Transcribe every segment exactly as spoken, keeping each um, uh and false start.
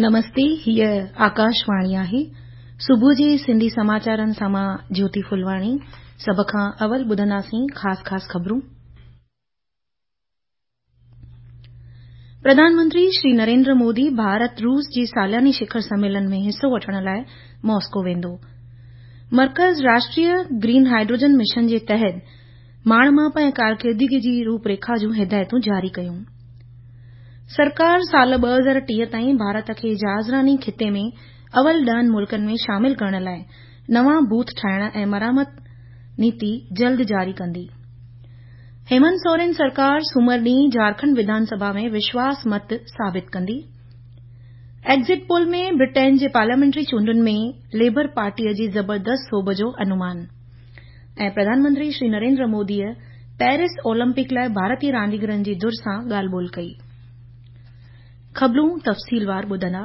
نمستي، هيء آڪاشواڻي آهي. صبح جي سنڌي سماچارن سان مان جيوتي ڦلواڻي. سڀ کان اول ٻڌنداسين خاص خاص خبرون. پرڌان منتري شري نريندر مودي ڀارت روس جي سالياني شکر سميلن ۾ حصو وٺڻ لاءِ ماسڪو ويندو. مرڪز راشٽريه گرين هائيڊروجن مشن جي تحت ماڻ ماپ ۽ ڪارڪردگي جي روپريکا جون هدايتون جاري ڪيون. سرڪار سال ٻه هزار ٽيهه تائين ڀارت کي جهازراني خطي ۾ اول ڏهن ملڪن ۾ شامل ڪرڻ لاءِ نوان بوٿ ٺاهڻ ۽ مرمت نيتي جلد جاري ڪندي. هيمنت سورين سرڪار سومر ڏينهن جهارکنڊ وڌان سڀا ۾ وشواس مت ثابت ڪندي. ايگزٽ پول ۾ برٽين جي پارليامينٽري چونڊن ۾ ليبر پارٽيء جي زبردست سوڀ جو انومان. ۽ پرڌان منتري شري نريندر موديء پيرس اولمپڪ لاءِ ڀارتي رانديگرن جي ڌر سان ڳالهه ٻولهه ڪئي. خبرون تفصيلوار ٻڌندا.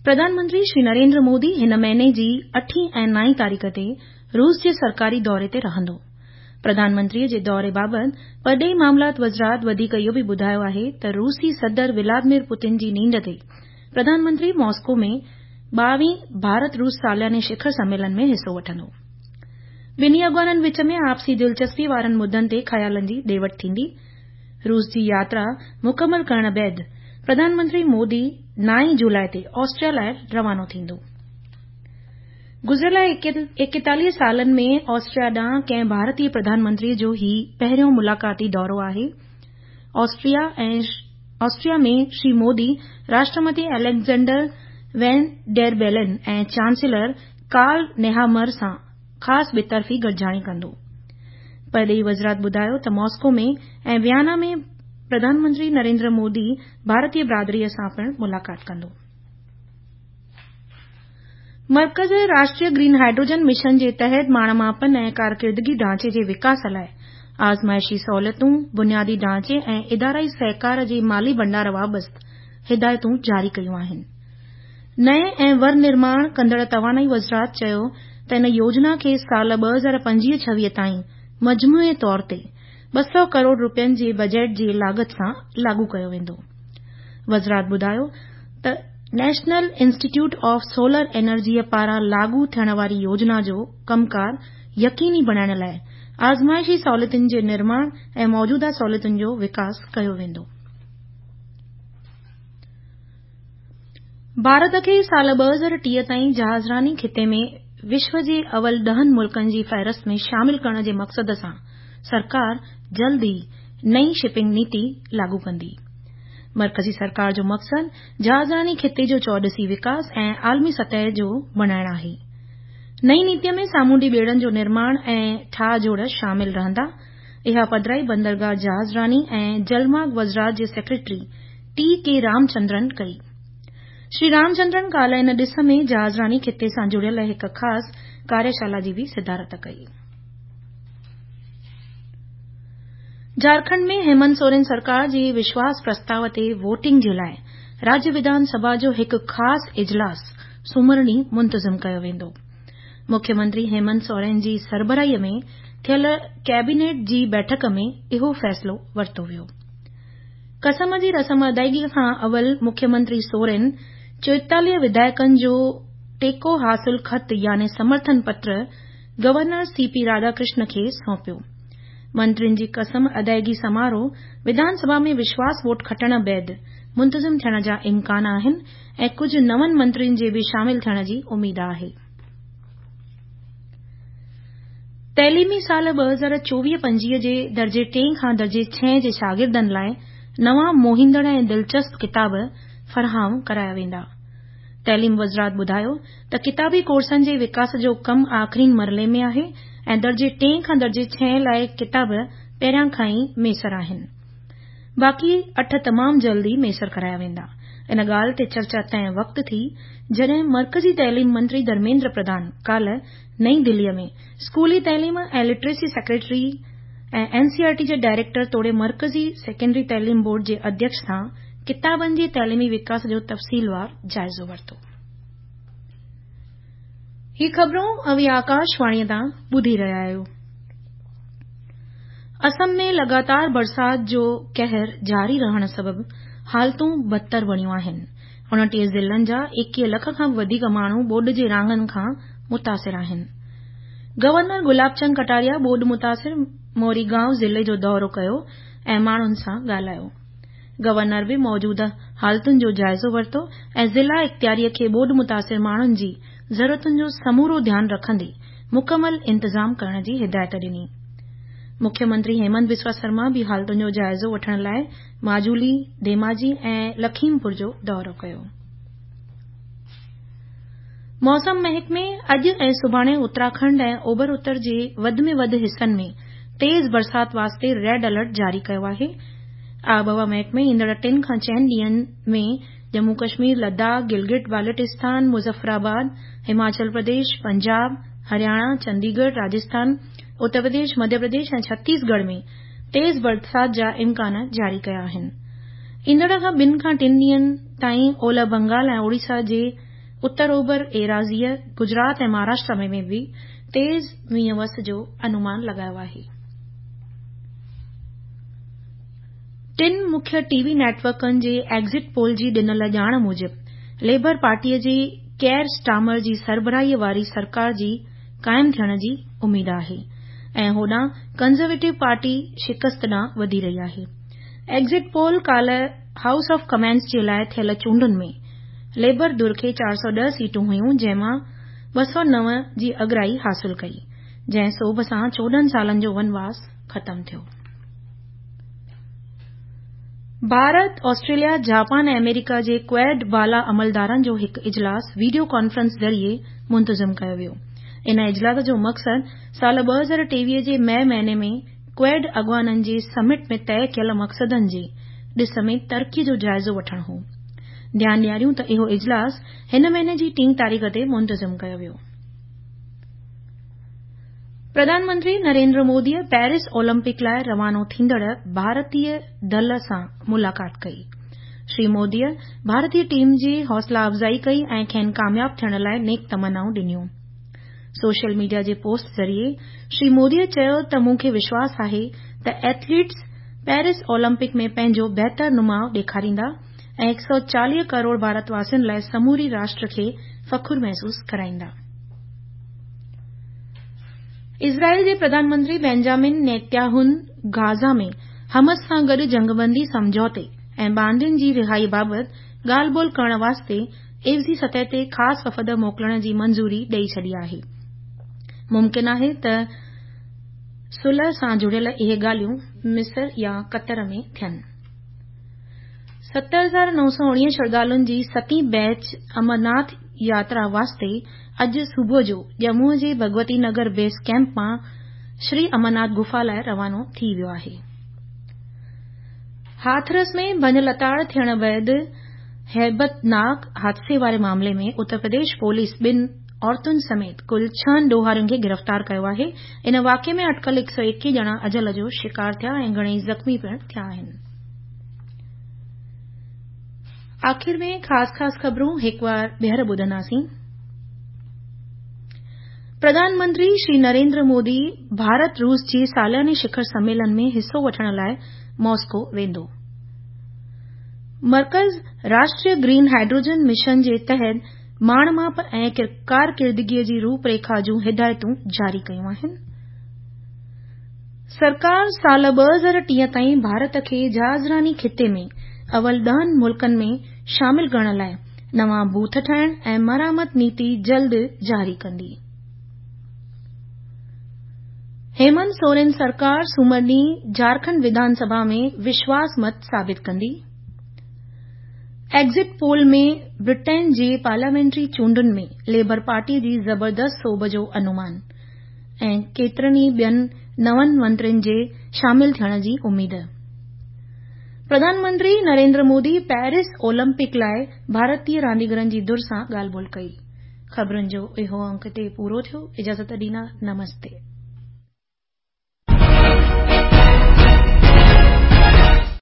پرڌان منتري شري نريندر مودي هن مهيني جي اٺين ۽ نائين تاريخ تي روس جي سرڪاري دوري تي رهندو. پرڌان منتريء جي دوري بابت پرڏيهي معاملات وزارت وڌيڪ اهو به ٻڌايو آهي ته روسي صدر ولاديمير پوتن جي نينڍ تي پرڌان منتري ماسڪو ۾ ٻاويهين ڀارت روس سالياني شکر سميلن ۾ حصو وٺندو. ٻنهي اڳواڻن وچ ۾ آپسي دلچسپي وارن مدن تي خيالن جي ڏي وٺ ٿيندي. روس جي ياترا مڪمل ڪرڻ بعد پرڌان منتري مودي نائين جولاءِ تي آسٽريا لاءِ روانو ٿيندو. گذريل ايڪيتاليهه سالن ۾ آسٽريا ڏانهن ڪنهن ڀارتي پرڌان منتريء جو هي پهريون ملاقاتي دورو آهي. Austria Austria ۾ Shri Modi Rashtrapati Alexander Van der Bellen ۽ chancellor Karl Nehammer سان خاص ٻطرفي گڏجاڻي ڪندو. پرڏيهي وزارت ٻڌايو ته ماسڪو ۾ ۽ ويانا ۾ پرڌان منتري نريندر مودي ڀارتي برادريءَ سان پڻ ملاقات ڪندو. مرڪز راشٽريه گرين هائيڊروجن مشن جي تحت ماڻ ماپن ۽ ڪارڪردگي ڍانچي جي وڪاس لاءِ آزمائشي سهولتون، بنيادي ڍانچي ۽ ادارائي سهڪار جي مالي ڀنڊار بابت هدايتون جاري ڪيون آهن. نئين ۽ ور نرماڻ ڪندڙ توانائي وزارت چيو ته ان يوجنا کي سال ٻه هزار پنجويهه ڇويهه تائين مجموعي طور تي ٻه سؤ ڪروڙ رپين جي بجيٽ جي لاڳت سان لاڳو ڪيو ويندو. وزارت ٻڌايو ته نيشنل انسٽيٽيوٽ آف سولر انرجيء پاران لاڳو ٿيڻ واري يوجنا جو ڪم ڪار يقيني بڻائڻ لاءِ آزمائشي سهولتن جي نرماڻ ۽ موجوده سهولتن جو وڪاس ڪيو ويندو. ڀارت کي سال ٻه هزار ٽيهه تائين جهازراني خطي ۾ وشو جي اول ڏهن ملڪن جي فهرست ۾ شامل ڪرڻ جي مقصد سان سرڪار جلد ئي نئين شپنگ نيتي لاڳو ڪندي. مرڪزي سرڪار جو مقصد جهازراني خطي جو چوڏسي وڪاس ۽ عالمي سطح جو بڻائڻ آهي. نئين نيتيءَ ۾ سامونڊي ٻيڙن جو نرماڻ ۽ ٺاهه جوڙ شامل رهندا. اها پڌرائي بندرگاهه جهازراني ۽ جلمارگ وزارت جي سيڪريٽري ٽي ڪي رامچندرن ڪئي. شري رامچندرن ڪالهه ان ڏس ۾ جهازراني خطي سان جڙيل هڪ خاص ڪاريشالا جي به صدارت ڪئي. جهارکنڊ ۾ هيمنت سورين سرڪار جي وشواس پرستاءُ تي ووٽنگ جي لاءِ راجيه وڌان سڀا جو هڪ خاص اجلاس سومر ڏينهن منتظم ڪيو ويندو. مکيه منتري هيمنت سورين جي سربراهيءَ ۾ ٿيل ڪيبينيٽ جي بيٺڪ ۾ اهو فيصلو ورتو ويو. قسم جي رسم ادائگي کان اول مکيه منتري سورين چوئيتاليهه وڌايڪن جو ٽيڪو حاصل خط يعني سمرٿن پتر گورنر سي پي راڌاڪرشن کي سونپيو. منترين جي قسم ادائگي سماروهه وڌان سڀا ۾ وشواس ووٽ کٽڻ بعد منتظم ٿيڻ جا امڪان آهن ۽ ڪجهه نون منترين جي به شامل ٿيڻ جي اميد آهي. تعليمي سال ٻه هزار چوويهه پنجويهه جي درجي ٽئين کان درجي ڇهين جي شاگردن لاءِ نوان موهيندڙ ۽ دلچسپ ڪتاب فراهم ڪرايا ويندا. تعليم وزارت ٻڌايو ته ڪتابي ڪورسن جي وڪاس جو ڪم آخرين مرحلي ۾ آهي ۽ درجي ٽئين کان درجي ڇهين لاءِ ڪتاب پهريان کان ئي ميسر آهن. باقي اٺ تمام جلد ئي ميسر ڪرايا ويندا. ان ڳالهه تي چرچا تنهن وقت ٿي جڏهن مرڪزي تعليم منتري ڌرميندر پرڌان ڪالهه نئين دليءَ ۾ اسڪولي تعليم ۽ literacy secretary ۽ N C R T جي ڊائريڪٽر توڙي مرڪزي سيڪنڊري تعليم بورڊ جي اڌيڪش سان ڪتابن جي تعليمي وڪاس جو تفصيلوار جائزو ورتو. هي خبرون اوهين آڪاشواڻيءَ تان ٻڌي رهيا آهيو. اسم ۾ لڳاتار برسات جو قهر جاري رهڻ سبب حالتون بدتر بڻيون آهن. اڻٽيهه ضلعن جا ايڪيهه لک کان به وڌيڪ ماڻهو ٻوڏ جي راڱن کان متاثر آهن. گورنر گلاب چند ڪٽاريا ٻوڏ متاثر موريگائون ضلعي جو دورو ڪيو ۽ ماڻهن سان ڳالهايو. گورنر به موجوده حالتن جو جائزو ورتو ۽ ضلع اختياري کي ٻوڏ متاثر ماڻهن جي ضرورتن جو سمورو ڌيان رکندي مڪمل انتظام ڪرڻ جي هدايت ڏني. مکيه منتري هيمنت بسوا سرما به حالتن جو جائزو وٺڻ لاءِ ماجولي، ڌيماجي ۽ لکيمپور جو دورو ڪيو. موسم محڪمي اڄ ۽ سڀاڻي اتراکنڊ ۽ اوڀر اتر جي وڌ ۾ وڌ حصن ۾ تيز برسات واسطي ريڊ الرٽ جاري ڪيو آهي. آبهوا محڪمي ايندڙ ٽن کان چئن ڏينهن ۾ ڄمون ڪشمير، لداخ، گلگت بالٽستان، مظفرآباد، هماچل پرديش، پنجاب، هرياڻا، چنديڳڙهه، راجسٿان، اتر پرديش، مڌيه پرديش ۽ ڇتيسڳڙهه ۾ تيز برسات جا امڪان جاري ڪيا آهن. ايندڙ کان ٻن کان ٽن ڏينهن تائين اولهه بنگال ۽ اوڙيسا جي اتر اوڀر ايراضيء، گجرات ۽ مهاراشٽر ۾ به تيز مينهن وس جو انومان لڳايو آهي. ٽن مکيه ٽي وي نيٽ ورڪن جي ايگزٽ پول جي ڏنل ڄاڻ موجب ليبر پارٽيء جي ڪيئر اسٽارمر جي سربراهيء واري سرڪار جي قائم ٿيڻ جي اميد آهي ۽ هوڏانهن ڪنزرويٽو پارٽي شڪست ڏانهن وڌي رهي آهي. ايگزٽ پول ڪالهه هائوس آف ڪمنز جي لاءِ ٿيل چونڊن ۾ ليبر ڌر کي چار سؤ ڏهه سيٽون هيون جنهن مان ٻه سؤ نو جي اڳرائي حاصل ڪئي، جنهن سوڀ سان چوڏهن سالن جو ونواس ختم ٿيو. ڀارت، آسٽريليا، جاپان ۽ آمريڪا جي ڪواڊ بالا عملدارن جو هڪ اجلاس وڊيو ڪانفرنس ذريعي منتظم ڪيو ويو. ان اجلاس جو مقصد سال ٻه هزار ٽيويهه جي مئي مهيني ۾ ڪواڊ اڳواڻن جي سمٽ ۾ طئي ڪيل مقصدن جي ڏس ۾ ترقي جو جائزو وٺڻ هو. ڌيان ڏياريون ته اهو اجلاس هن مهيني جي ٽين تاريخ تي منتظم ڪيو ويو. پرڌان منتري نريندر موديء پيرس اولمپڪ لاءِ روانو ٿيندڙ ڀارتيه دل سان ملاقات ڪئي. شري موديء ڀارتيه ٽيم جي حوصلا افزائي ڪئي ۽ کين ڪامياب ٿيڻ لاءِ نيڪ تمنائون ڏنيون. سوشل ميڊيا جي پوسٽ ذريعي شري موديء چيو ته مون کي وشواس آهي ته ايٿليٽس پيرس اولمپڪ ۾ پنهنجو بهتر نماءُ ڏيکاريندا ۽ هڪ سؤ چاليهه ڪروڙ ڀارتواسين لاءِ سموري راشٽر کي فخر محسوس ڪرائيندا. اسرائيل جي پرڌان منتري بينجامن نيتنياهو غازه ۾ حماس سان گڏ جنگبندي سمجهوتي ۽ باندين جي رهائي بابت ڳالهه ٻولهه ڪرڻ واسطي عيوضي سطح تي خاص وفد موڪلڻ جي منظوري ڏئي ڇڏي آهي. ممڪن آهي ته صلح سان جڙيل اهي ڳالهيون مصر يا قطر ۾ ٿين. ست هزار نو سؤ اڻويهه شرڌالن جي ستين بيچ امرناٿ ياترا واسطي اڄ صبح جو ڄمون جي ڀڳوتي نگر بيس ڪيمپ مان شري امرناٿ گفا لاءِ روانو ٿي ويو آهي. هاٿرس ۾ ڀڃ لتاڙ ٿيڻ بعد هيبتناڪ حادثي واري معاملي ۾ اتر پرديش پوليس ٻن عورتن سميت ڪل ڇهن ڏوهارين کي گرفتار ڪيو آهي. ان واقعي ۾ اٽڪل هڪ سؤ ايڪيهه ڄڻا اجل جو شڪار ٿيا ۽ گهڻيئي زخمي پڻ ٿيا آهن. آخر ۾ خاص خاص خبرون هڪ وار ٻيهر ٻڌنداسين. پرڌان منتري شري نريندر مودي ڀارت روس جي سالياني شکر سميلن ۾ حصو وٺڻ لاءِ ماسڪو ويندو. مرڪز راشٽريه گرين هائيڊروجن مشن جي تحت ماڻ ماپ ۽ ڪارڪردگيءَ جي روپ ريکا جون هدايتون جاري ڪيون آهن. سرڪار سال ٻه هزار ٽيهه تائين ڀارت کي جهازراني خطي ۾ اول ڏهن ملڪن ۾ شامل ڪرڻ لاءِ نوان بوٿ ٺاهڻ ۽ مرمت نيتي جلد جاري ڪندي. هيمنت سورين سرڪار سومر ڏينهن جهارکنڊ وڌان سڀا ۾ وشواس مت ثابت ڪندي. ايگزٽ پول ۾ برٽين جي پارليامينٽري چونڊن ۾ ليبر پارٽي جي زبردست سوڀ جو انومان ۽ ڪيترن ئي ٻين نون منترين جي شامل ٿيڻ جي اميد. پرڌان منتري نريندر مودي پيرس اولمپڪ لاءِ ڀارتيه رانديگرن جي ڌر سان ڳالهه ٻولهه ڪئي. خبرن جو اهو انڪ هتي پورو ٿيو. اجازت ڏيندا. نمستي.